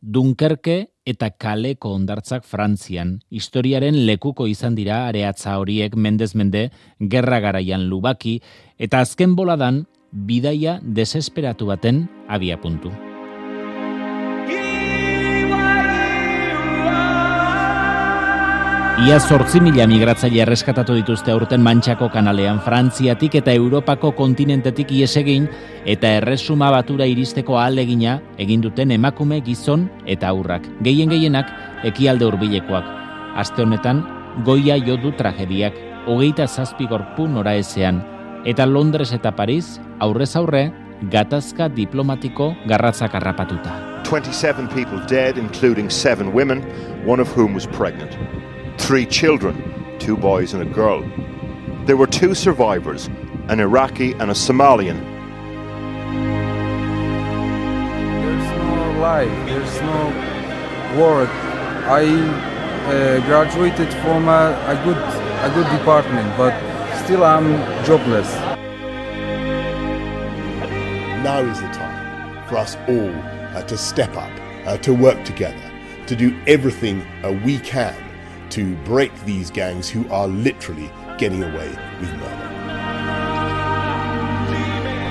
Dunkerke eta Kaleko hondartzak Frantzian. Historiaren lekuko izan dira areatza horiek mendez mende, gerra garaian lubaki, eta azken boladan bidaia desesperatu baten abiapuntu. Ia 8.000 migratzaile erreskatatu dituzte aurten Mantxako kanalean, Frantziatik eta Europako kontinentetik ihes egin eta Erresuma Batura iristeko ahalegina egin duten emakume, gizon eta haurrak. Gehienak ekialde hurbilekoak. Aste honetan goia jo du tragediak, 27 gorpu noraezean, eta Londres eta Paris aurrez aurre gatazka diplomatiko garratzak harrapatuta. 27 people dead, including 7 women, one of whom was pregnant. 3 children, 2 boys and a girl. There were 2 survivors, an Iraqi and a Somalian. There's no life, there's no work. I graduated from a good department, but still I'm jobless. Now is the time for us all to step up, to work together, to do everything we can to break these gangs who are literally getting away with murder.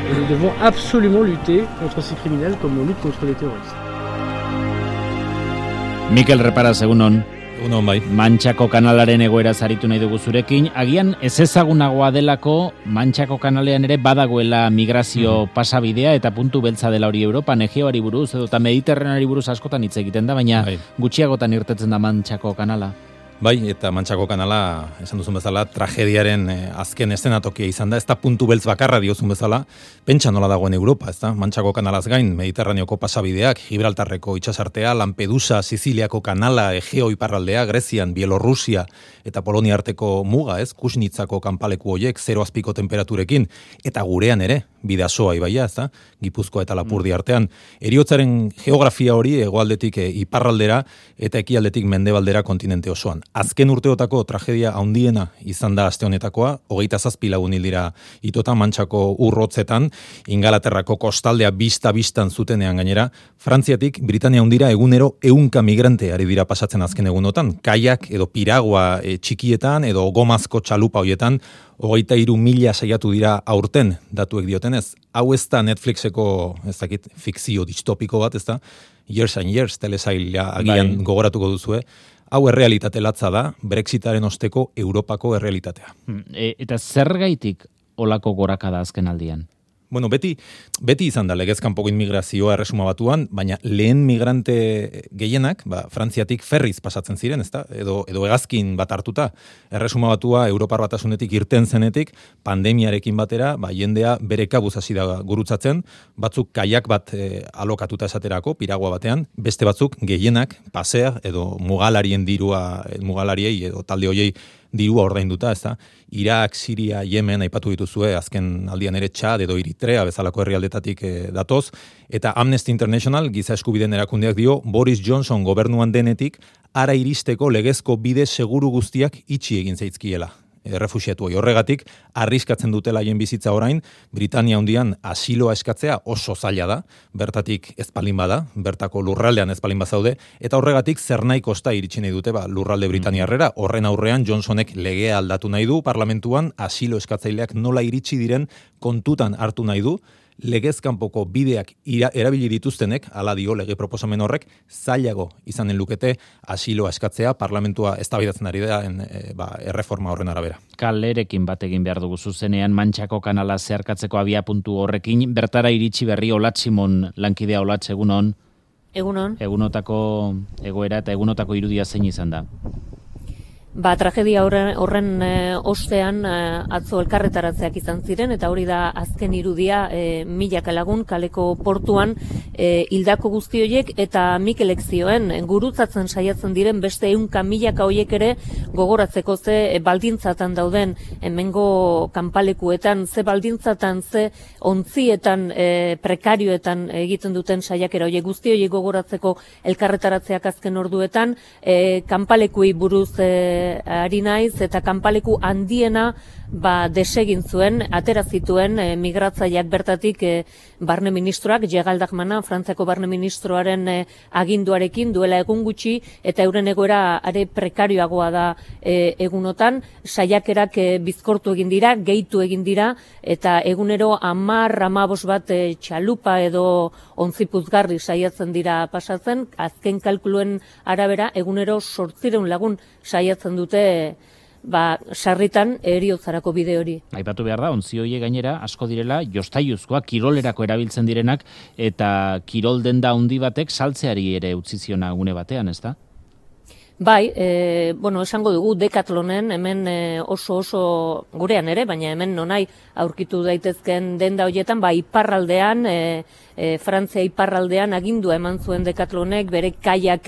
Nous devons absolument lutter contre ces criminels comme on lutte contre les terroristes. Mikel Reparaz, egunon. Egunon bai. Mantxako kanalaren egoera zaritu nahi dugu zurekin. Agian ez ezagunagoa delako Mantxako kanalean ere badagoela migrazio pasabidea eta puntu beltza dela hori Europan, Egeoari buruz edo eta Mediterraneari buruz askotan hitz egiten da, baina gutxiagotan irtetzen da Mantxako kanala. Bai, eta Mantxako kanala, esan duzun bezala, tragediaren azken eszenatokia izan da, ez da puntu beltz bakarra diozun bezala, pentsa nola dagoen Europa, ez da? Mantxako kanalaz gain, Mediterraneoko pasabideak, Gibraltarreko itsasartea, Lampedusa, Siziliako kanala, Egeo iparraldea, Grezian, Bielorrusia eta Polonia arteko muga, ez? Kusnitzako kanpaleku hoiek, 0 azpiko temperaturekin, eta gurean ere, Bidasoa ibaia, ez da? Gipuzkoa eta Lapurdi artean. Heriotzaren geografia hori hegoaldetik iparraldera eta ekialdetik mendebaldera kontinente osoan. Azken urteotako tragedia handiena izan da aste honetakoa, 27 lagun hil dira itota Mantxako urrotzetan, Ingalaterrako kostaldea bistan zutenean gainera, Frantziatik Britania handira egunero 100 migrante ari dira pasatzen azken egunotan, kaiak edo piragua txikietan edo gomazko txalupa hoietan, 23.000 saiatu dira aurten datuek diotenez. Hau ez da Netflixeko, ez dakit, fikzio distopiko bat, ez da, Years and Years telesaila agian gogoratuko duzue. Hau errealitate latza da, Brexitaren osteko Europako errealitatea. Eta zergaitik olako gorakada azken aldian? Bueno, beti izan da legezkanpoko inmigrazioa Erresuma Batuan, baina lehen migrante gehienak, Frantziatik ferriz pasatzen ziren, ezta? Edo hegazkin bat hartuta. Erresuma Batua Europar Batasunetik irten zenetik, pandemiarekin batera, jendea bere kabuz hasi da gurutzatzen, batzuk kaiak bat alokatuta esaterako, piragua batean, beste batzuk gehienak pasea edo mugalarien dirua, mugalariei edo talde hoiei dirua ordainduta, ezta? Irak, Siria, Yemen aipatu dituzue, azken aldian ere Txad edo Eritrea bezalako herrialdetatik datoz, eta Amnesty International giza eskubideen erakundeak dio Boris Johnson gobernuan denetik ara iristeko legezko bide seguru guztiak itxi egin zaizkiela. Refuxiatuei horregatik, arriskatzen dutela haien bizitza orain, Britania handian asiloa eskatzea oso zaila da, bertatik ez palin bada, bertako lurraldean ez palin bazaude, eta horregatik zer nahi kosta iritsi nahi dute lurralde Britaniarrera, horren aurrean Johnsonek legea aldatu nahi du, parlamentuan asilo eskatzaileak nola iritsi diren kontutan hartu nahi du, legezkanpoko bideak erabili dituztenek, hala dio lege proposamen horrek, zailago izanen lukete asiloa eskatzea, parlamentua eztabaidatzen ari da erreforma horren arabera. Kalerekin bat egin behar dugu zuzenean, Mantxako kanala zeharkatzeko abiapuntu horrekin, bertara iritsi berri Olatz Simon, lankidea Olatz, egunon? Egunon. Egunotako egoera eta egunotako irudia zein izan da? Tragedia horren ostean atzo elkarretaratzeak izan ziren, eta hori da azken irudia milaka lagun kaleko portuan hildako guzti horiek eta Mikelek zioen gurutzatzen saiatzen diren beste 100 milaka horiek ere gogoratzeko ze baldintzatan dauden hemengo kanpalekuetan, ze baldintzatan, ze ontzietan, prekarioetan egiten duten saiakera horiek guzti horiek gogoratzeko elkarretaratzeak azken orduetan, kanpalekuei buruz ari naiz, eta kanpaleku handiena desegin zuen, atera zituen migratzaileak bertatik barne ministroak, Geraldachmana, Frantziako barne ministroaren aginduarekin duela egun gutxi, eta euren egoera are prekarioagoa da egunotan, saiakerak bizkortu egin dira, gehitu egin dira, eta egunero 10-15 bat txalupa edo ontzipuzgarri saiatzen dira pasatzen, azken kalkuluen arabera egunero 800 lagun saiatzen dute sarritan heriotzarako bide hori. Aipatu behar da, ontzi horiek gainera asko direla jostaiuzkoa kirolerako erabiltzen direnak, eta kirol denda handi batek saltzeari ere utzi ziona gune batean, ezta? Bai, esango dugu Decathlonen hemen oso gurean ere, baina hemen nonai aurkitu daitezken denda horietan, iparraldean, Frantzia iparraldean agindua eman zuen Decathlonek bere kaiak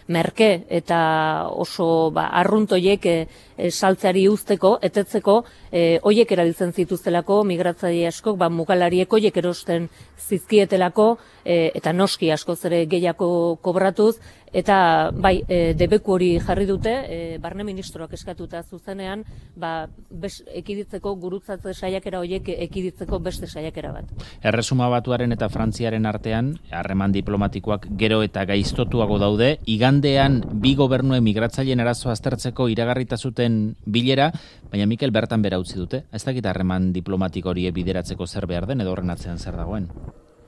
merke eta oso arruntoiek saltzeari uzteko, etetzeko, hoiek erabiltzen zituztelako migratzaile askok, mugalariek hoiek erosten zizkietelako, eta noski askoz ere gehiago kobratuz, eta debeku hori jarri dute, barne ministroak eskatuta zuzenean, ekiditzeko gurutzatze saiakera horiek ekiditzeko beste saiakera bat. Erresuma Batuaren eta Frantziaren artean, harreman diplomatikoak gero eta gaiztotuago daude, igandean bi gobernuen migratzaileen arazoa aztertzeko iragarrita zuten bilera, baina Mikel bertan bera utzi dute. Ez dakit harreman diplomatiko hori bideratzeko zer behar den edo horren atzean zer dagoen?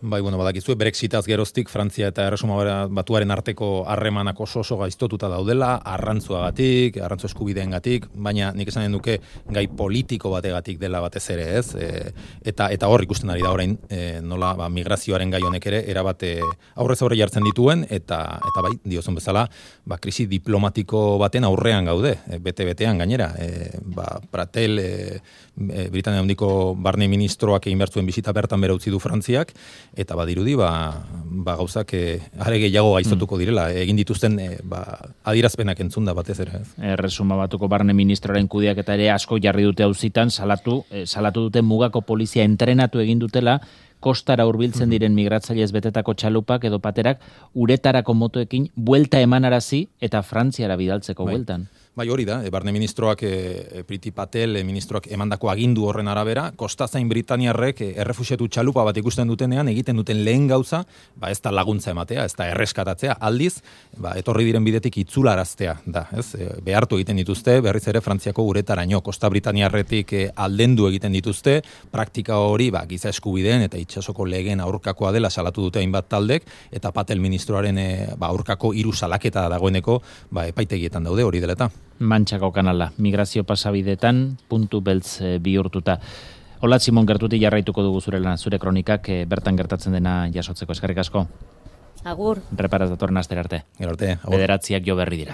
Badakizue Brexitaz geroztik Frantzia eta Erresuma Batuaren arteko harremanak oso gaiztotuta daudela, arrantzuagatik, arrantzu eskubideengatik, baina nik esanen duke gai politiko bategatik dela batez ere, ez? Eta hor ikusten ari da orain, nola migrazioaren gai honek ere erabate aurrez aurre jartzen dituen, eta diozun bezala, krisi diplomatiko baten aurrean gaude, bete-betean gainera. Pratel, Britania handiko barne ministroak egin behar zuen bisita bertan bera utzi du Frantziak, eta badirudi gauzak are gehiago gaiztotuko direla, egin dituzten adierazpenak entzunda batez ere. Erresuma Batuko barne ministroaren kudeaketa ere asko jarri dute auzitan, salatu dute mugako polizia entrenatu egin dutela, kostara hurbiltzen diren migratzailez betetako txalupak edo paterak uretarako motoekin buelta emanarazi eta Frantziara bidaltzeko bueltan. Hori da, barne ministroak, Priti Patel ministroak emandako agindu horren arabera, kostazain britaniarrek errefuxiatu txalupa bat ikusten dutenean, egiten duten lehen gauza, ez da laguntza ematea, ez da erreskatatzea, aldiz, etorri diren bidetik itzularaztea da, ez? Behartu egiten dituzte, berriz ere Frantziako uretaraino, kosta britaniarretik aldendu egiten dituzte, praktika hori, giza eskubideen eta itsasoko legeen aurkakoa dela salatu dute hainbat taldek, eta Patel ministroaren aurkako 3 salaketa dagoeneko, epaitegietan daude hori deleta. Mantxako kanala, migrazio pasabidetan puntu beltz bihurtuta. Ola Simon, gertutik jarraituko dugu zure kronikak bertan gertatzen dena jasotzeko. Eskerrik asko. Agur. Reparaz datorren astera arte. Gero arte. 9:00 jo berri dira.